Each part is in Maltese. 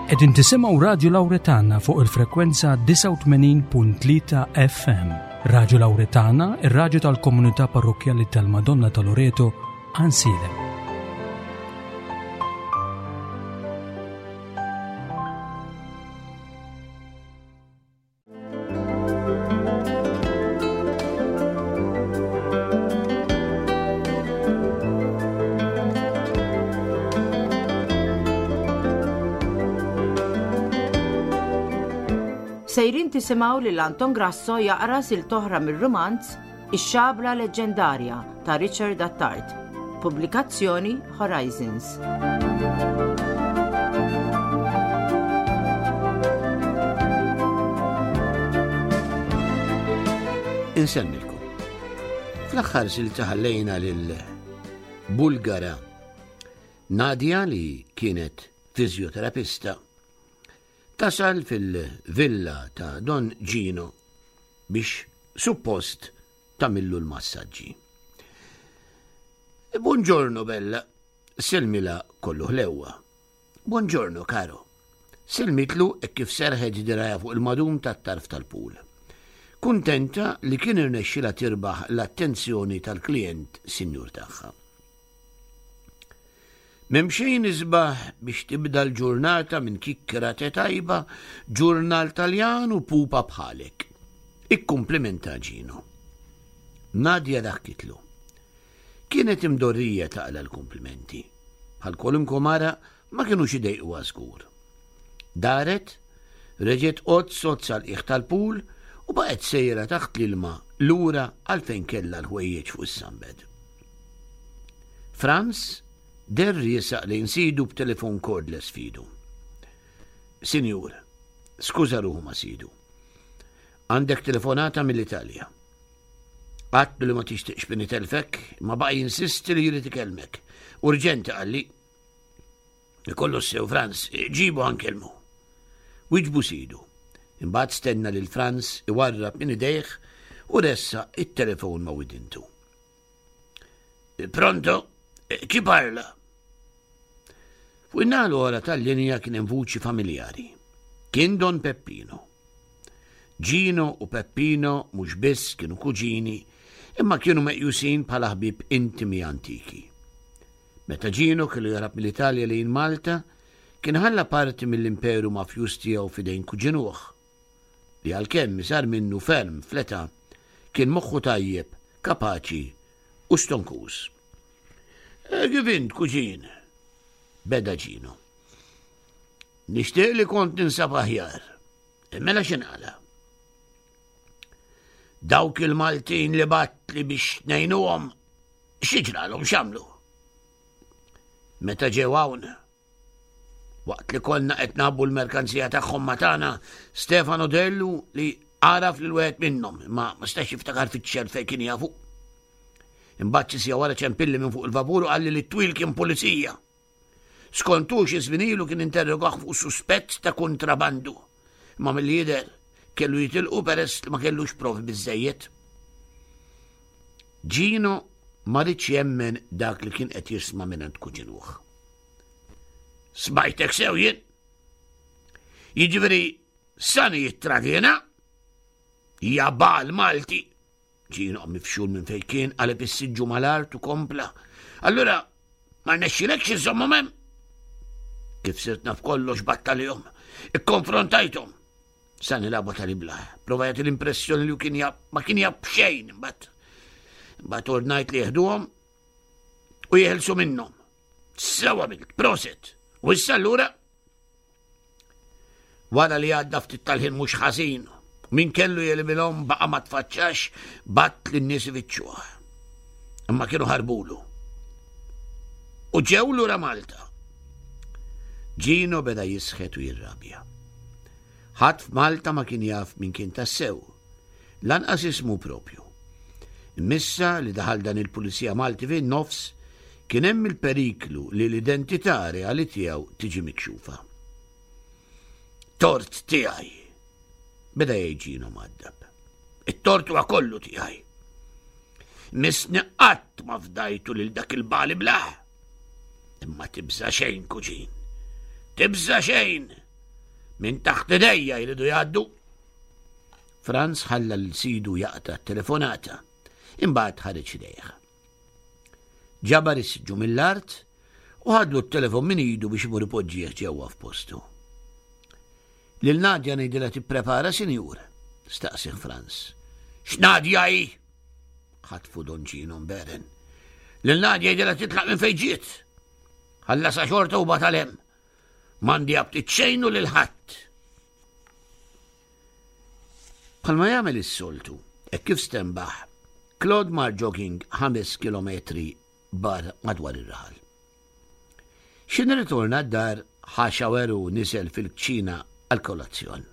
Qegħdin tisimgħu Radju Lawretana fuq il-frekwenza 89.3 FM. Radju Lawretana, ir-radju tal-komunità parrokkjali tal-Madonna ta' Loreto, Ansilem. Sejrin tisimgħu lil Anton Grasso jaqra sil toħra mir-rumanz Ix-Xabla Leġġendarja ta' Richard Attard. Pubblikazzjoni Horizons. Insemmilkom. Fl-aħħar silta ħallejna lil Bulgara Nadia li kienet fizjoterapista tasal fil-villa ta' Don Gino biex suppost tagħmillu l-massaġġi. Buongiorno bella, selmila kollu ħlewwa. Buongiorno caro. Selmitlu hekk kif serħet dirajha fuq il-madum tat-tarf tal-pool. Kuntenta li kien irnexxilha tirbaħ l-attenzjoni tal-klijent sinjur tagħha. M'hemm xejn isbaħ biex tibda l-ġurnata minn kikkra te tajba, ġurnal Taljan u pupa bħalek. Ikkumplimenta Gino. Nadia daħkitlu. Kienet imdorrija taqla' l-kumplimenti. Bħal kwalunkwe mara ma kinux idejquha żgur. Daret, reġgħet qgħod sod sal-qiegħ tal-pool u baqgħet sejra taħt l-ilma lura għal fejn kellha l-ħwejjeġ fuq is-sunbed. Franz deher riesaq lejn sidu b'telefon cordless f'idu. Sinjur, skuża ruħu ma' sidu. Għandek telefonata mill-Italja. Għadtlu li ma tixtieqx min itelfek, imma baqa' jinsisti li jrid ikellmek. Urġenti qalli. Ikollu sew Franz, ġibu ħa nkellmu. Wiġbu sidu. Imbagħad stenna lil Franz iwarrab minn idejh u ressaq it-telefon ma' widintu. Pronto? Chi parla? Fuq in-naħa l-oħra tal-linja kien hemm vuċi familjari. Kien Don Peppino. Gino u Peppino mhux biss kienu kuġini, imma kienu meqjusin bħala ħbieb intimi antiki. Meta Gino kellu jaħrab mill-Italja lejn Malta, kien ħalla parti mill-imperu mafjuż tiegħu f'idejn kuġinuh, li għalkemm iżgħar minnu ferm fl-età, kien moħħu tajjeb, kapaċi u stonkuż. Eh, kif int, kuġin? Beda Ġino. Nixtieq li kont ninsab aħjar. Eh, mela x'inqala? Dawk il-Maltin li batli biex ngħinuhom, x'ġralhom x'għamlu? Meta ġew hawn, Waqt li konna qed nagħbbu l-merkanzija tagħhom ma' tagħna, Stefano dellu li għaraf lil wieħed minnhom, imma ma setax jiftakar fiċ-ċert fejn kien jafu. Imbagħad xi siegħa wara ċempilli minn fuq il-vapur u qalli li t-twil kien pulizija. Skont hu xi żmien ilu kien interrogah fuq suspett ta' kuntrabandu. Imma milli jidher kellu jitilqu peress li ma kellux provi biżżejjed. Gino ma ridx jemmen dak li kien qed jisma' mingħand kuġinuh. Smajtek sew jien. Jiġifieri sani jittradina, jabal Malti. Ġie mifxul minn fejn kien qaleb is-siġġu mal-art u kompla. Allura ma rnexxilekx iżommhom hemm. Kif sirt naf kollox battalihom, ikkonfrontajthom. Sa nilagħbu tal-iblah. Prova jagħti l-impressjoni li kien jab ma kien jab xejn imbagħad. Imbagħad ordnajt li jeħduhom u jeħilsu minnhom. Sewa għamilt, proset. U issa allura wara li għadda ftit tal-ħin mhux ħażin, min kellu jelibilhom baqa' ma tfaċċax bat lin nies ifittxuh. Imma kienu ħarbulu. U ġew lura Malta. Ġino beda jisħet u jirrabja. Ħadd f'Malta ma kien jaf min kien tassew. Lanqas ismu propju. Imma issa li daħal dan il-Pulizija Malti fin-nofs, kien hemm il-periklu li l-identità reali tiegħu tiġi mikxufa. Tort tiegħi! Beda jgħid Gino mgħaddab. It-tort huwa kollu tiegħi. Missni qatt ma fdajtu lil dak il-bali blah. Imma tibża' xejn, kuġin. Tibża' xejn! Minn taħt idejja jridu jgħaddu. Franz ħalla lil sidu jaqta' t-telefonata. Imbagħad ħareġ idejh. Ġabar is-siġġu mill-art u ħadlu t-telefon minn idu biex imur ipoġġih ġewwa f'postu. Lil Nadja ngħidilha tipprepara, sinjur? staqsih Franz. X'Nadja hi? ħatfu Don Ġino mberen. Lil Nadja jgħidilha titlaq minn fejn ġiet. Ħallasha xorta u batal hemm. M'għandi aptit xejn u lil ħadd. Bħalma jagħmel is-soltu, hekk kif stenbaħ, Claude mar jogging 5 kilometri bar madwar ir-raħal. X'in ritorna d-dar ħa xawer u niżel fil-kċina għall-kolazzjon.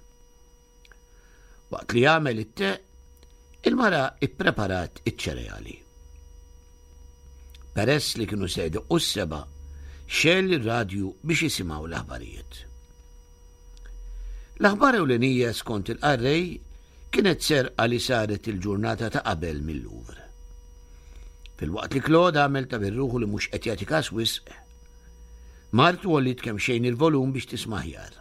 Waqt li għamel it-te, il-mara ippreparat iċ-ċereali. Peress li kienu se jdoqqu s-seba, xegħel ir-radju biex jisimgħu l-aħbarijiet. L-aħbar ewlenija skont il-qarrej kienet serqa li saret il-ġurnata ta' qabel mil-Louvre. Filwaqt li Claude għamel ta' birruħu li mhux qed jagħti każ wisq, martu għolliet kemxejn il-volum biex tisma' aħjar.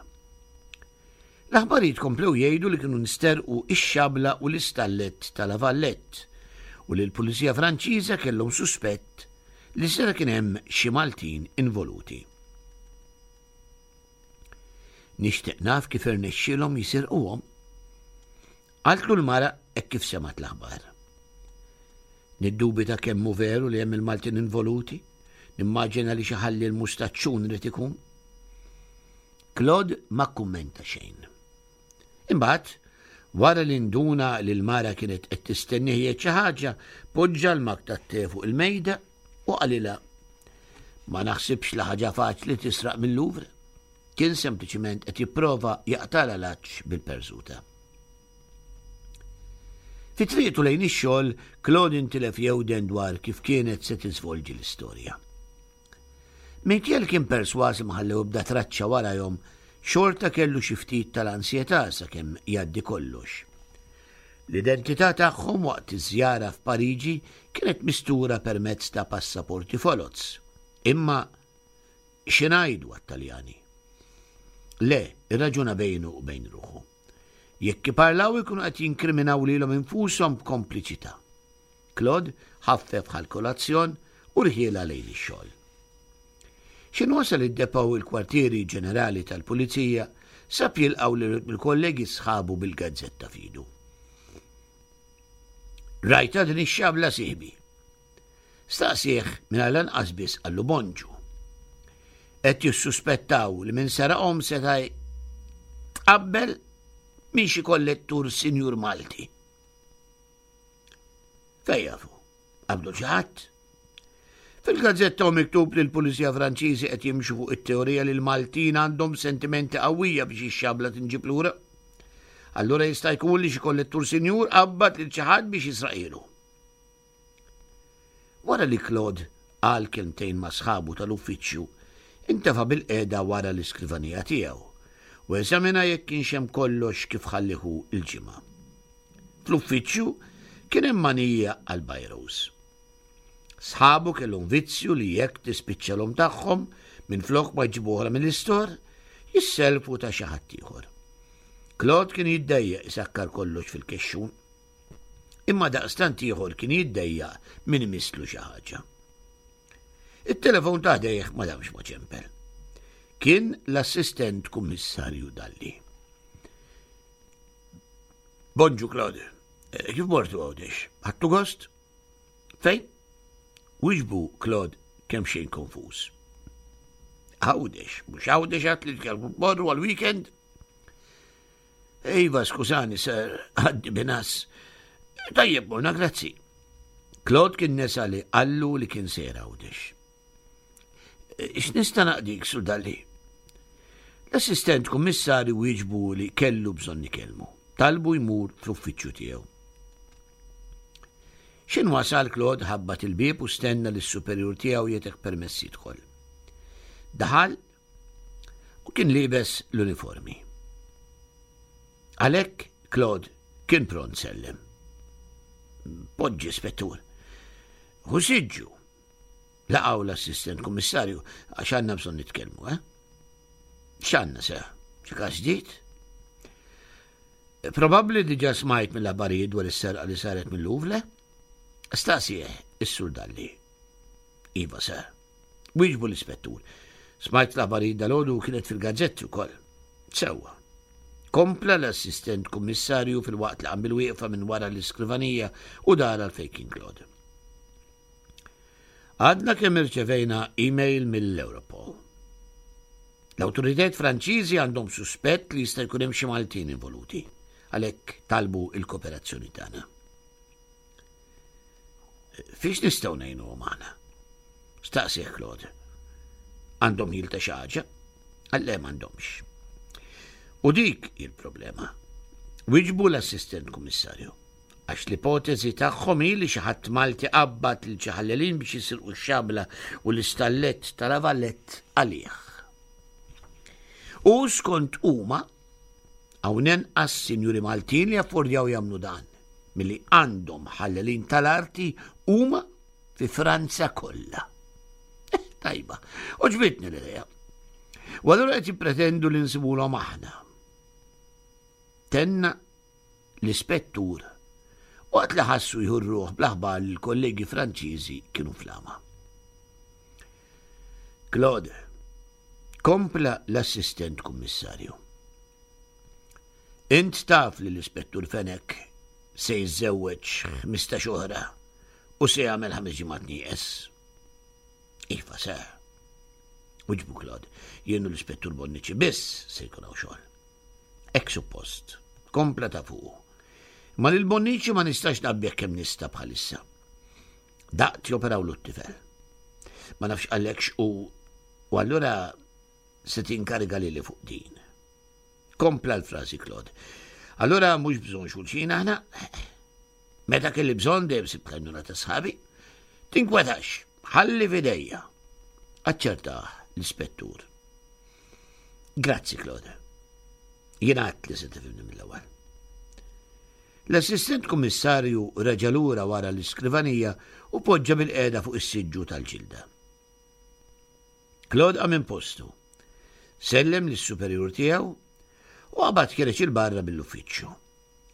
L-aħbarijiet komplew jgħidu li kienu nsterqu ix-xabla u l-istallett ta' La Valette u li l-Pulizija Franċiża kellhom suspett li seta' kien hemm xi Maltin involuti. Nixtieq naf kif irnexxielhom jisirquhom. Qaltlu l-mara hekk kif semgħet l-aħbar. Niddubita kemm hu veru li hemm il-Maltin involuti, nimmaġina li xi ħalli l-mustaċċun irid ikun. Claude ma kkummenta xejn. Imbagħad, wara li nduna li l-mara kienet qed tistennih jgħid xi ħaġa, poġġa l-mak tat-te fuq il-mejda u qalilha Ma naħsibx li ħaġa faċli tisraq mill-Louvre. Kien sempliċiment qed jipprova jaqtala l-għatx bil-perżuta. Fi triqtu lejn ix-xogħol, Claude intilef jewden dwar kif kienet se tiżvolġi l-istorja. Minkejja li kien persważ li ma ħallew ebda traċċa warajhom, xorta kellu xi ftit tal-ansjetà sakemm jgħaddi kollox. L-identità tagħhom waqt iż-żjara f'Pariġi kienet mistura permezz ta' passaporti foloz. Imma xi ngħidu għat-Taljani? Le, irraġuna bejnu u bejn ruħu. Jekk iparlaw ikunu qed jinkriminaw lilhom infushom b'kompliċità. Claude ħaffef ħa l-kolazzjon u rħielha lejn ix-xogħol. X'inhu wasal id-depot il-kwartieri ġenerali tal-pulizija sab jilqgħu lill-kollegi sħabu bil-gazzetta f'idu. Rajtha din ix-xabla sieħbi? Staqsieh mingħajr lanqas biss qallu bonġu. Qed jissuspettaw li min seraqhom seta' tqabbel minn xi kollettur sinjur Malti. Fejn jafu? Qabdu xi ħadd? Fil-gazzetta hu miktub li l-Pulizija Franċiżi qed jimxu fuq it-teorija li l-Maltin għandhom sentimenti qawwija biex ix-xabla tinġib lura. Allura jista' jkun li xi kollettur sinjur qabbad lil xi ħadd biex jisraqilu. Wara li Claude qal kelmtejn ma' sħabu tal-uffiċċju, intefa' bilqiegħda wara l-iskrivanija tiegħu u eżamina jekk kienx hemm kollox kif ħallih hu l-ġimgħa. Fl-uffiċċju kien hemm manija għall-bajrows. Sħabu kellhom vizzju li jekk tispiċċalhom tagħhom minflok ma jġibu oħra mill-istor, jissellfu ta' xi ħadd ieħor. Claude kien jiddejjaq isakkar kollox fil-kexxun. Imma daqstant ieħor kien jiddejjaq min imisslu xi ħaġa. It-telefon ta' ħdejh ma damx ma ċempel. Kien l-assistent kummissarju Dalli. Bonġu Claude, eh, kif mortu Għawdex? Ħadtu gost? Fejn? Wiġbu Claude kemm xejn konfuż. Għawdex, mhux Għawdex għat li kellu morru għal-weekend? Iva, skużani, sir, għaddi binas. Tajjeb, morna, grazzi. Claude kien nesa li qallu li kien sejr Għawdex. X'nista' naqdik, Sur Dalli? L-assistent kummissarju wieġbu li kellu bżonn ikellmu. Talbu jmur fl-uffiċċju tiegħu. X'in wasal Claude ħabbat il-bieb u stenna li s-superjur tiegħu jagħtih permess jidħol. Daħal u kien liebes l-uniformi. Għalhekk Claude kien pront sellem. Poġġi, spettur. Hu siġġu. Laqgħu l-assistent kummissarju għax għandna bżonn nitkellmu, eh? X'għandna se? Xi każ ġdid? Probabbli diġà smajt mill-aħbarijiet dwar is-serqa li saret mill-Louvre? Staqsieh is-Sur Dalli. Iva, sir. Wieġbu l-ispettur. Smajt l-aħbarijiet dalgħodu u kienet fil-gazzetti wkoll. Sewwa. Kompla l-assistent kummissarju filwaqt li qam bil-wieqfa minn wara l-iskrivanija u dar għal fejn kien Claude. Għadna kemm irċevejna email mill-Europol. L-awtoritajiet Franċiżi għandhom suspett li jista' jkun hemm xi Maltin involuti, għalhekk talbu l-kooperazzjoni tagħna. Fiex nistgħu ngħinuhom aħna? Staqsih Claude. Għandhom ħil ta' xi ħaġa? Le m'għandhomx. U dik hi l-problema. Wiġbu l-assistent kummissarju. Għax l-ipoteżi tagħhom hi li xi ħadd Malti qabbad lil xi ħallelin biex jisirqu x-xabla u l-istallett ta' La Valette għalih. U skont huma, hawn inqas sinjuri Maltin li jaffordjaw jagħmlu dan milli għandhom ħallelin tal-arti huma fi Franza kollha. Eh, tajba, oġbitni l-idea. U allura qed jippretendu li nsibulhom aħna. Tenna l-ispettur waqt li ħassu jieħu r-ruħ bl-aħbar li l-kollegi Franċiżi kienu flama. Claude, kompla l-assistent kummissarju. Int taf li l-ispettur Fenech se jiżżewweġ 15 oħra u se jagħmel ħames ġimgħat nieqes. Iva, sir. Wiġbu Claude, jien u l-ispettur Bonnici biss se jkun hawn xogħol. Hekk suppost. Kompla ta' fuqu. Ma lil Bonnici ma nistax naqbih kemm nista' bħalissa. Daqt joperawlu t-tifel. Ma nafx għalekx u u allura se tinkariga lili fuq din. Kompla l-frażi Claude. Allura mhux bżonn xulxin aħna. Meta kelli bżonn dejjem sibt l-għajnuna ta' sħabi. Tinkwetax, ħalli f'idejja. Aċċertah l-ispettur. Grazzi, Claude. Jien għadt li se tifhimni mill-ewwel. L-assistent kummissarju reġa' lura wara l-iskrivanija u poġġa bil-qiegħda fuq is-siġġu tal-ġilda. Claude qam minn postu, sellem lis-superjur tiegħu u qabad ħiereġ 'il barra mill-uffiċċju.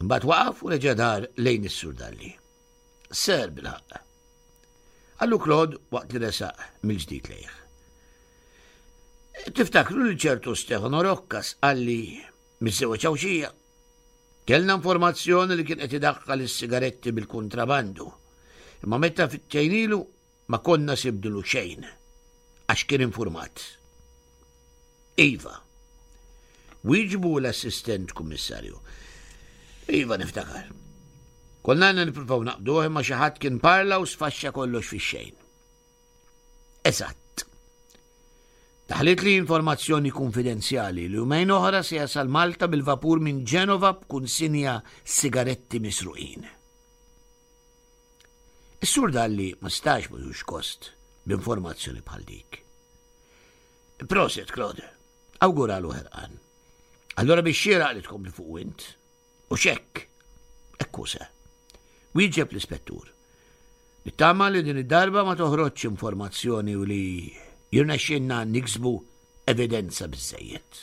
Imbagħad waqaf u reġa' dar lejn is-Sur Dalli. Ser bil-ħaqq. Qallu Claude waqt li resaq mill-ġdid lejh. Tiftakru li ċertu Stefano Rocca sqalli miżżewweġ Għawdxija? Kellna informazzjoni li kien qed idaħħal is-sigaretti bil-kuntrabandu. Imma meta fittejnilu Ma konna sibdlu xejn, għax kien infurmat. Iva. Wieġbu l-assistent kummissarju. Iva niftakar. Konna għandna nippruvaw naqbduh imma xi ħadd kien parla u sfaxxa kollox fix-xejn. Eżatt. Daħlit li informazzjoni konfidenzjali li jumejn oħra se jasal Malta bil-vapur minn Ġenova b'kunsinja sigaretti misruqin. Is-Sur Dalli ma setax ma jux kost b'informazzjoni bħal dik. Proset, Claude, awguralu ħerqan. Allora biex xieraq li tkompli fuq int. U xekk, ekku se. Wieġeb l-ispettur. Nittama li din id-darba ma toħroġx informazzjoni u li jirnexxinna niksbu evidenza biżejjed.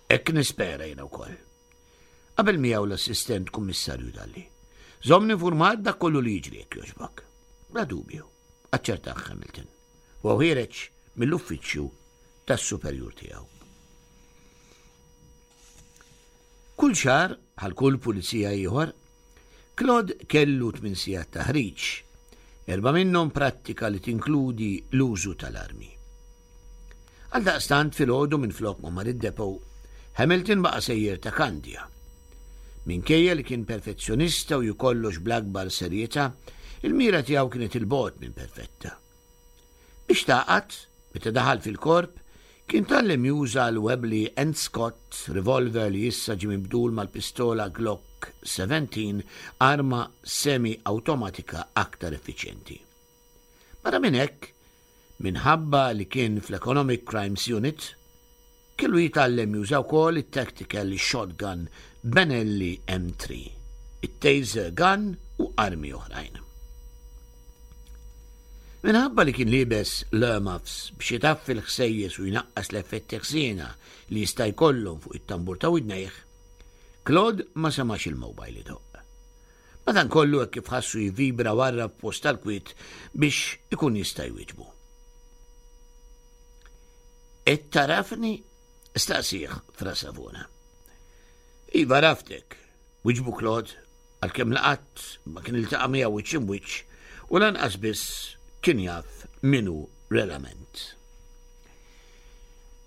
Hekk nispera jiena wkoll. Qabel miegħu l-assistent kummissarju Dalli. Żommni infurmat dak kollu li jiġri jekk jogħġbok. Bla dubju, aċċertah Hamilton. U ħiereġ mill-uffiċċju tas-superjur tiegħu. Kull xahar, bħal kull pulizija ieħor, Claude kellu tmien sigħat taħriġ, erba' minnhom prattika li tinkludi l-użu tal-armi. Għaldaqstant filgħodu minflok ma mar id-depot, Hamilton baqa' sejjer ta' Kandja. Minkejja li kien perfezzjonista u jieħu kollox bl-akbar serjetà, il-mira tiegħu kienet 'il bogħod minn perfetta. Biex tagħqad, meta daħal fil-korp, kien tgħallem juża l-Webley and Scott revolver li issa ġie mibdul mal-pistola Glock 17, arma semi-awtomatika aktar effiċjenti. Barra minn hekk, minħabba li kien fl-Economic Crimes Unit, kellu jitgħallem juża wkoll it-tactical shotgun Benelli M3, it-taser gun u armi oħrajn. Minħabba li kien liebes l-earmuffs biex itaffi l-ħsejjes u jnaqqas l-effetti ħżiena li jista' jkollhom fuq it-tambur ta' widnejh, Claude ma semax il-mobile idoqq. Madankollu hekk kif ħassu jivvibra warrab f'post tal-kwiet biex ikun jista' jwieġbu. Qed tarafni? staqsih Fra Savona. Iva għaraftek, wiġbu Claude, għalkemm la qatt ma kien iltaqa' miegħu wiċċ imwiċċ u lanqas biss kien jaf min hu relament.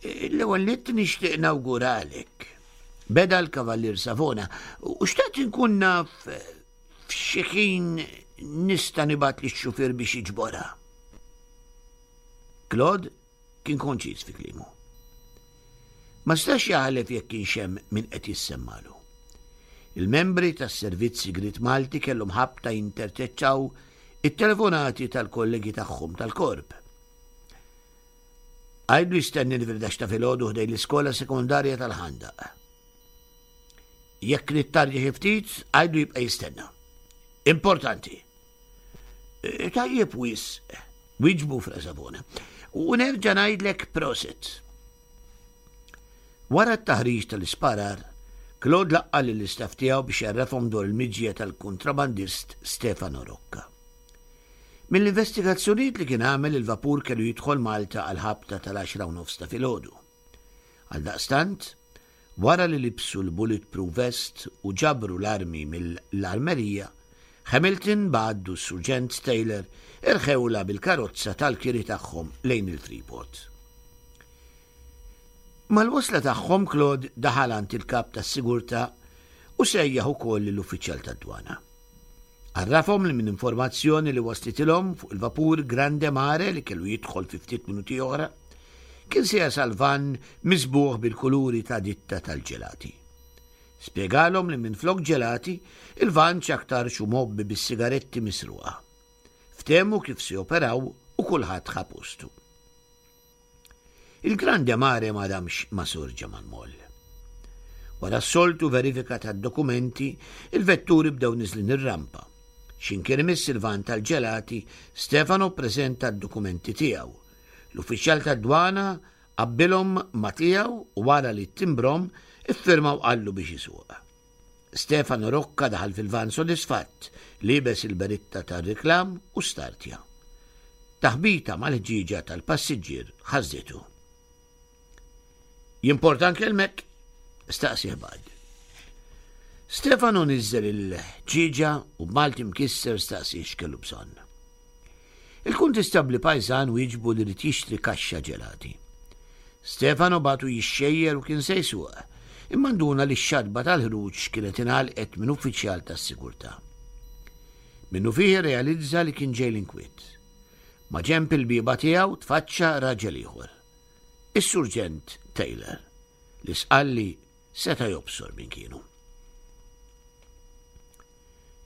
L-ewwel nett nixtieq nawguralek. Beda l-Kavallier Savona u xtaqt inkun naf f'xi ħin nista' nibgħat lix-xufier biex jiġborha. Claude Kien konċiż fi kliemu. Ma setax jaħlef jekk kienx hemm min qed jissemmalu. Il-membri tas-Servizz Sigriet Malti kellhom ħabta jinterċettaw it-telefonati tal-kollegi tagħhom tal-Korp. Għidlu jistennini fil-ħdax ta' filgħodu ħdejn l-iskola sekondarja tal-Ħandaq. Jekk nittardja xi ftit, għidlu jibqa' jistenna. Importanti. Eh, tajjeb wisq, wieġbu Fra Savona. U nerġa' ngħidlek prosit. Wara t-taħriġ tal-isparar, Claude laqqa' lill-istaff tiegħu biex jgħarrafhom dwar il-miġja tal-kuntrabandist Stefano Rocca. Mill-investigazzjonijiet li kien għamel il-vapur kellu jidħol Malta għall-ħabta tal-għaxra u nofs ta' filgħodu. Għaldaqstant, Wara li libsu l-bulletproof vest u ġabru l-armi mill-armerija, Hamilton, Budd u s-Surġent Taylor irħewlha bil-karozza tal-kiri tagħhom lejn il-Freeport. Mal-wasla tagħhom Claude daħal għand il-kap tas-sigurtà u sejjaħ ukoll lill-uffiċjal tad-dwana. Għarrafhom li minn informazzjoni li waslitilhom fuq il-vapur Grande Mare li kellu jidħol fi ftit minuti oħra, kien se jasal vann miżbugħ bil-kuluri ta' ditta tal-ġelati. Spjegalhom li minflok ġelati, il-vann x'aktarx hu mgħobbi bis-sigaretti misruqa. Ftehmu kif se joperaw u kulħadd ħa postu. Il-Grande Mare ma damx ma sorġa mal-moll. Wara s-soltu verifika tad-dokumenti, il-vetturi bdew niżlin ir-rampa. X'imkien imiss il-van tal-ġelati, Stefano ppreżenta d-dokumenti tiegħu. L-uffiċjal tad-dwana qabbilhom ma' tiegħu u wara li ttimbrhom, iffirma u qallu biex isuq. Stefano Rocca daħal fil-vann sodisfatt, liebes il-beritta tar-riklam u startja. Taħbita mal-ħġieġa tal-passiġġier ħażżitu. Jimporta nkellmek? staqsieh Bud. Stefano niżżel il-ħġieġa u b'Malti mkisser staqsieh x'kellu bżonn. Il-kuntistabbli pajżan wieġbu li ried jixtri kaxxa ġelati. Stefano bagħtu jixxejjer u kien se jsuq, imma nduna li x-xatba tal-ħruġ kienet ingħalqet minn uffiċjal tas-sigurtà. Minnufih irrealizza li kien ġej l-inkwiet. Maġenb il-bieba tiegħu tfaċċa raġel ieħor. Is-Surġent Taylor, li sqalli seta' jobsor min kienu.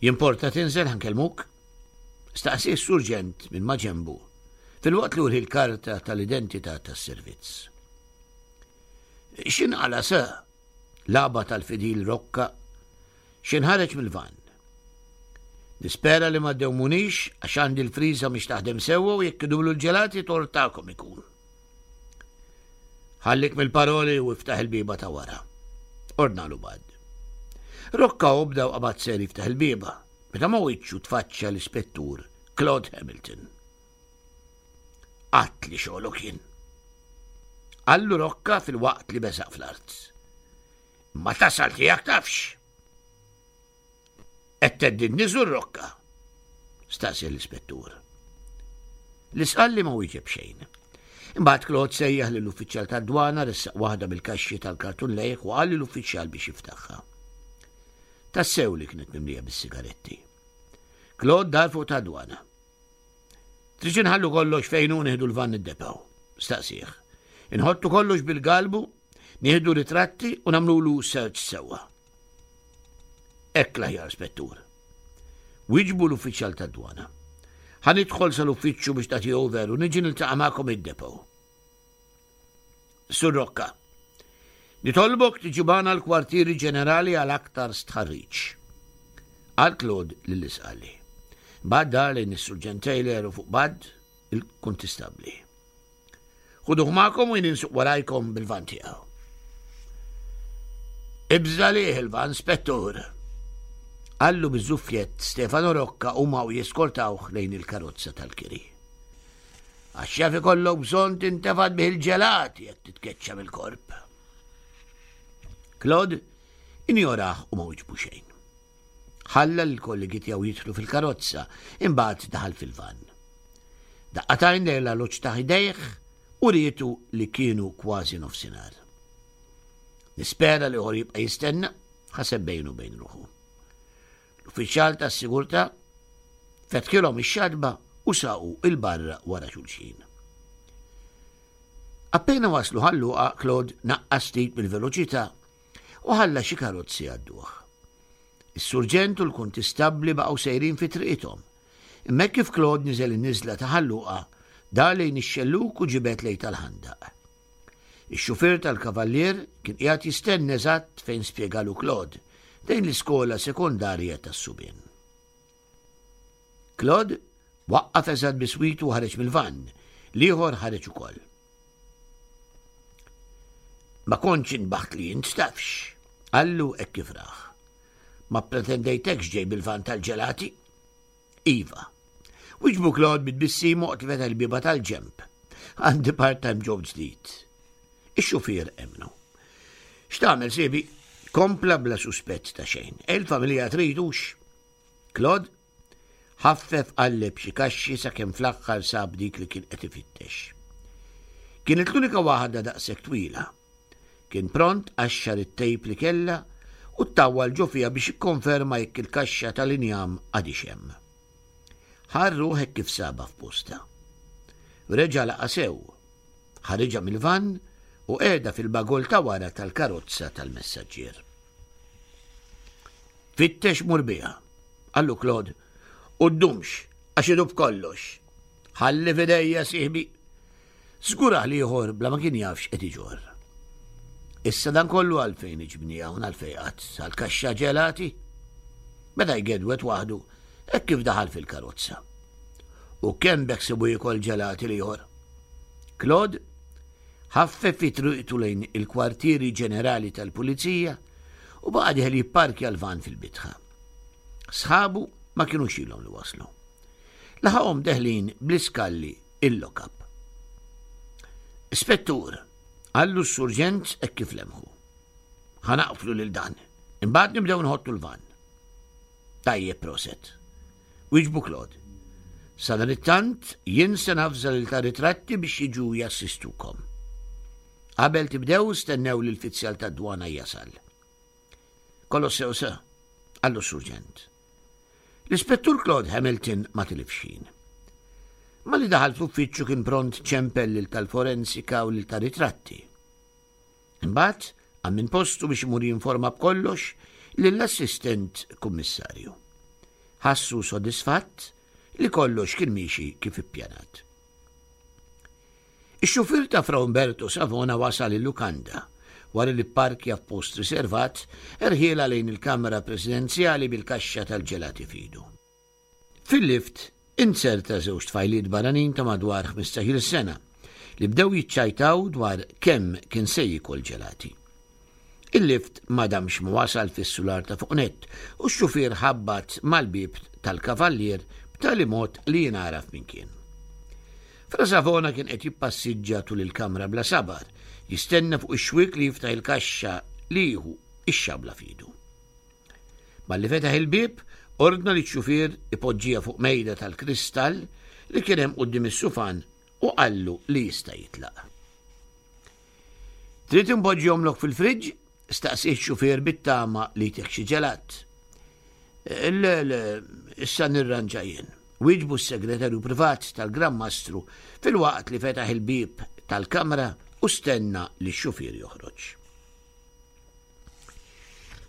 Jimporta tinżel ħa nkellmuk? Staqsieh s-surġent minn maġenbu, filwaqt li urieh l-karta tal-identità tas-servizz. X'inqala' sir? Lagħba tal-fidil Rocca x'inħareġ mill-vann. Nispera li ma ddewmunix għax għandi l-friża mhix taħdem sewwa u jekk idumlu l-ġelati tort tagħkom ikun. Ħallik mill-paroli u iftaħ il-bieba ta' wara. Ordnalu Bud. Rocca obda u qabad ser jiftaħ il-bieba, meta ma' wiċċu tfaċċa l-ispettur Claude Hamilton. Qatt li xogħlu kien. Qallu Rocca fil-waqt li beżaq fl-art. Ma tasal tiegħek tafx. Qed theddidni Sur Rocca? staqsieh l-ispettur. L-Isqalli ma wieġeb xejn. Imbagħad Claude sejjaħ lill-uffiċjal tad-dwana ressaq waħda mill-kaxxi tal-kartun lejh u qal lill-uffiċjal biex jiftaħha. Tassew li kienet mimlija bis-sigaretti. Claude dar fuq tad-dwana. Tridx inħallu kollox fejn hu nieħdu l-vann id-depow? Staqsih. Inħottu kollox bil-galbu, nieħdu ritratti u nagħmlulu search sewwa. Hekk l-aħjar, Spettur. Wieġbu l-uffiċjal tad-dwana. Ħa nidħol sal-uffiċċju biex tagħti over u niġi niltaqa' magħkom id-depow. Sur Rocca, nitolbok tiġi magħna l-kwartieri ġenerali għal aktar stħarriġ. Qal Claude lil Isqalli. Bad dar lejn is-Surġent Taylor u fuq Bud, il-kuntistabbli. Ħuduh magħkom u jien insuq warajkom bil-van tiegħu. Ibża lih il-van, spettur! Qallu biż-żuffjett Stefano Rocca huma u jeskortawh lejn il-karozza tal-kiri. Għax jaf ikollok bżonn tintefad bih il-ġelat jekk titkeċċa mill-korp. Claude injorah u ma wiġbu xejn. Ħalla lill-kollegi tiegħu jidħlu fil-karozza, imbagħad daħal fil-vann. Daqqa t'għajn lejn l-arloġġ ta' ħdejh u rietu li kienu kważi nofsinhar. Nispera li ieħor jibqa' jistenna, ħaseb bejnu bejn ruħu. L-uffiċjal tas-sigurtà fetħilhom ix-xatba u saqu il-barra wara xulxin. Appena waslu ħalluqa, Claude naqqas ftit mill-veloċità u ħalla xi karozzi jgħadduh. Is-surġent u l-kuntistabbli baqgħu sejrin fi triqithom. Imma hekk kif Claude niżel in-niżla ta' Ħal Luqa, dar lejn ix-xellug u ġibed lejn tal-ħandaq. Ix-xufier tal-kavallier kien qiegħed jistenna eżatt fejn spjegalu Claude, lejn l-iskola sekondarja tas-subien. Claude waqqaf eżatt biswitu u ħareġ mill-vann, l-ieħor ħareġ ukoll. Ma kontx inbaħt li int tafx, qallu hekk kif rah. Ma ppretendejtekx ġej bil-vann tal-ġelati? Iva. Wiġbu Claude bi tbissim waqt li fetaħ il-bieba tal-ġenb. Għandi part-time job ġdid. Ix-xufier emmnu. X'tagħmel siebi? Kompla bla suspett ta' xejn. Il-familja tridux. Claude ħaffef qalleb xi kaxxi sakemm fl-aħħar sab dik li kien qed ifittex. Kienet l-unika waħda daqshekk twila. Kien pront qaxxar it-tejp li kellha u ttawwal ġo fiha biex jikkonferma jekk il-kaxxa tal-injam għadhiex hemm. Ħa r-ruħ hekk kif sabha f'postha. Reġa' laqa' sew. Ħariġha mill-vann u qiegħda fil-bagoll ta' wara tal-karozza tal-messaġġier. Fittex mur biha, qallu Claude, u ddumx għax idub kollox. Ħalli f'idejja sieħbi. Żgurah l-ieħor bla ma kien jaf x'qed iġorr. Issa dan kollu għalfejn iġbni hawn għalfejn qatt għal kaxxa ġelati? Beda jgedwed waħdu hekk kif daħal fil-karozza. U kemm beħsibu jiekol ġelati l-ieħor? Claude ħaffef fi triqtu lejn il-kwartieri ġenerali tal-pulizija u baqa' dieħel jipparkja l-van fil-bitħa. Sħabu ma kinux ilhom li waslu. Laħaqhom deħlin bl-iskalli il-lock-up. Ispettur, qallu s-surġent hekk kif lemħu. Ħa naqflu lil dan, imbagħad nibdew nħottu l-van. Tajjeb proset. Wieġbu Claude. Sadanittant jien se navża lil ta' ritratti biex jiġu jassistukom. Qabel tibdew stennew li l-fizzjal tad-dwana jasal. Kollox sew sir, qallu s-surġent. L-Ispettur Claude Hamilton ma tilifx ħin. Malli daħal fl-uffiċċju kien pront ċempel lil tal-forensika u lil ta' ritratti. Imbagħad qam minn postu biex imur jinforma b'kollox lill-assistent kummissarju. Ħassu sodisfatt li kollox kien miexi kif ippjanat. Ix-xufier ta' Fra Umberto Savona wasal il-lukanda. Wara li pparkja f'post riservat, erħielha lejn il-kamra presidenzjali bil-kaxxa tal-ġelati f'idu. Fil-lift inzerta żewġ tfajliet barranin ta' madwar ħmistax-il sena li bdew jiċċajtaw dwar kemm kien se jiekol ġelati. Il-lift ma damx ma wasal fis-sular ta' fuq nett u x-xufier ħabbat mal-bieb tal-kavallier b'tali mod li jingħaraf min kien. Fra Savona kien qed jippassiġġa tul il-kamra bla sabar, jistenna fuq ix-xwiek li jiftaħ il-kaxxa li jieħu x-xabla f'idu. Malli fetaħ il-bieb, ordna li x-xufier ipoġġiha fuq mejda tal-kristall li kien hemm quddiem is-sufan u qallu li jista' jitlaq. Trid inpoġġihomlok fil-friġġ? staqsieh x-xufier bit-tama li jtih xi ġelat. Le, le, issa nirranġa jien, wieġbu s-segretarju privat tal-Gran Mastru filwaqt li fetaħ il-bieb tal-kamra u stenna li x-xufier joħroġ.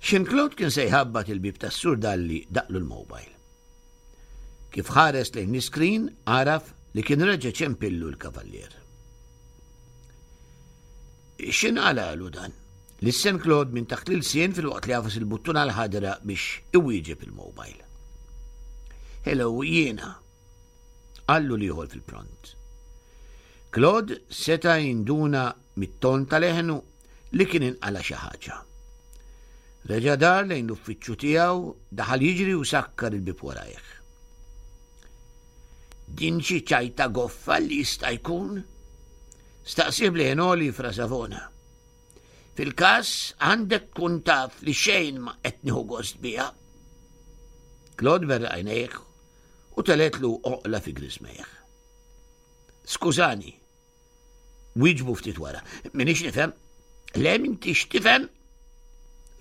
X'in Claude kien se jħabbat il-bieb tas-Sur Dalli daqlu l-mobile. Kif ħares lejn l-iskrin għaraf li kien reġa' ċempillu l-kavallier. X'inqalalu dan? Lissen Claude minn taħt l-ilsien filwaqt li għafas il-buttuna l-ħadra biex iwieġeb il-mobile. Hello, jiena. Qallu l-ieħor fil-pront. Claude seta' jinduna mit-ton ta' leħnu li kien inqala' xi ħaġa. Reġa' dar lejn l-uffiċċju tiegħu, daħal jiġri u sakkar il-bieb warajh. Din xi ċajta goffa li jista' jkun? Staqsih b'leħen għoli fra Savona. Fil-każ għandek tkun taf li xejn ma qed nieħu gost biha. Claude berraq għajnejh u teletlu oqla fi griżmejh. Skużani, wieġbu ftit wara, minix nifhem. Le m'intix tifhem?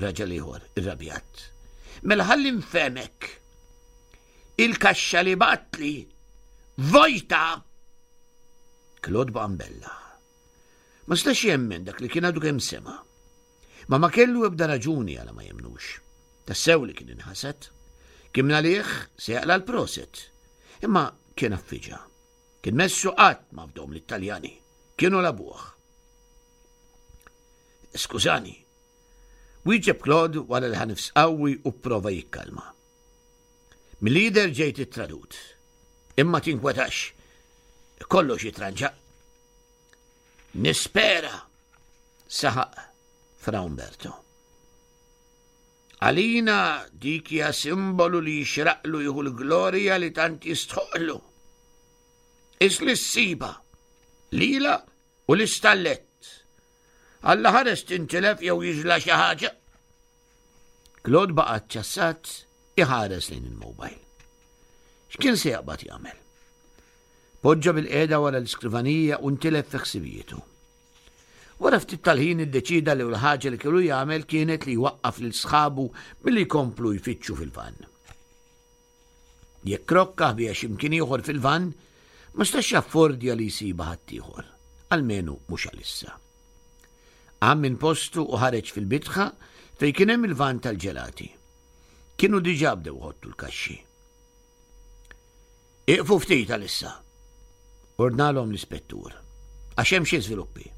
Raġel ieħor, irrabjat. Mela ħalli nfehmek. Il-kaxxa li batli vojta! Claude baqa' mbellaħ. Ma setax jemmen dak li kien għadu kemm sema'. Ma ma kellu ebda raġuni għala ma jemmnux. Tassew li kien inħasad. Kien mingħalih se jaqla' l-proset. Imma kien affiġa. Kien messu qatt ma fdhom lit-Taljani. Kienu labuh. Skużani. Wieġeb Claude wara li ħa nifs qawwi u pprova jikkalma. Milli jidher ġejt ittradut. Imma tinkwetax. Kollox jitranġa. Nispera, saħaq Fra Umberto. Għalina dik hija simbolu li jixraqlu jieħu l-glorja li tant jistħoqlu. Is li ssiba, lila u l-istallett. Alla ħares tintilef jew jiġla xi ħaġa. Claude baqa' ċassat iħares lejn il-mobile. X'kien se jaqbad jagħmel? Poġġa bil-qiegħda wara l-iskrivanija u ntilef fi ħsibijietu. Wara ftit tal-ħin iddeċieda li l-ħaġa li kellu jagħmel kienet li jwaqqaf lil sħabu milli jkomplu jfittxu fil-vann. Jekk Rocca ħbieha xi mkien ieħor fil-vann, ma stax jaffordja li jsibha ħaddieħor, almenu mhux għalissa. Qam minn postu u ħareġ fil-bitħa fejn kien hemm il-vann tal-ġelati. Kienu diġà bdew iħottu l-kaxxi. Iqfu ftit għalissa, ordnalhom l-ispettur, għax hemm xi żviluppi.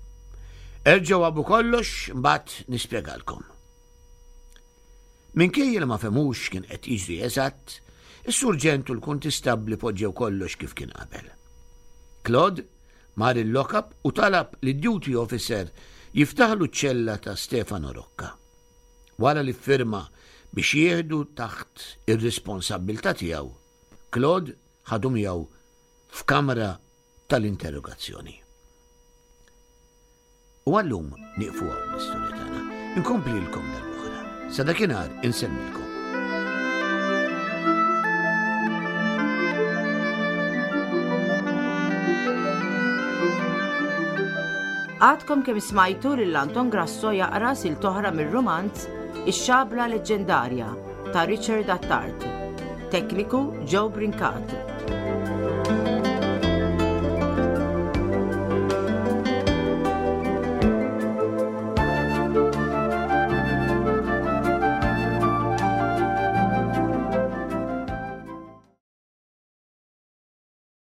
Erġgħu għabu kollox mbagħad nispjegalkom. Minkejja li ma fehmux x'kien qed jiġri eżatt, is-surġent u l-kuntistabbli poġġew kollox kif kien qabel. Claude mar il-lock-up u talab lid-duty officer jiftaħlu ċ-ċella ta' Stefano Rocca. Wara li ffirma biex jieħdu taħt ir-responsabbiltà tiegħu, Claude ħadu miegħu f'kamra tal-interrogazzjoni. U għallum nieqfu hawn l-istorja tagħna. Inkomplilkom darb'oħra. Sa dakinhar insellmilkom. Għadkom kemm smajtu lil Anton Grasso jaqra silt oħra mir-rumanz Ix-Xabla Leġġendarja ta' Richard Attard. Tekniku Joe Brincat.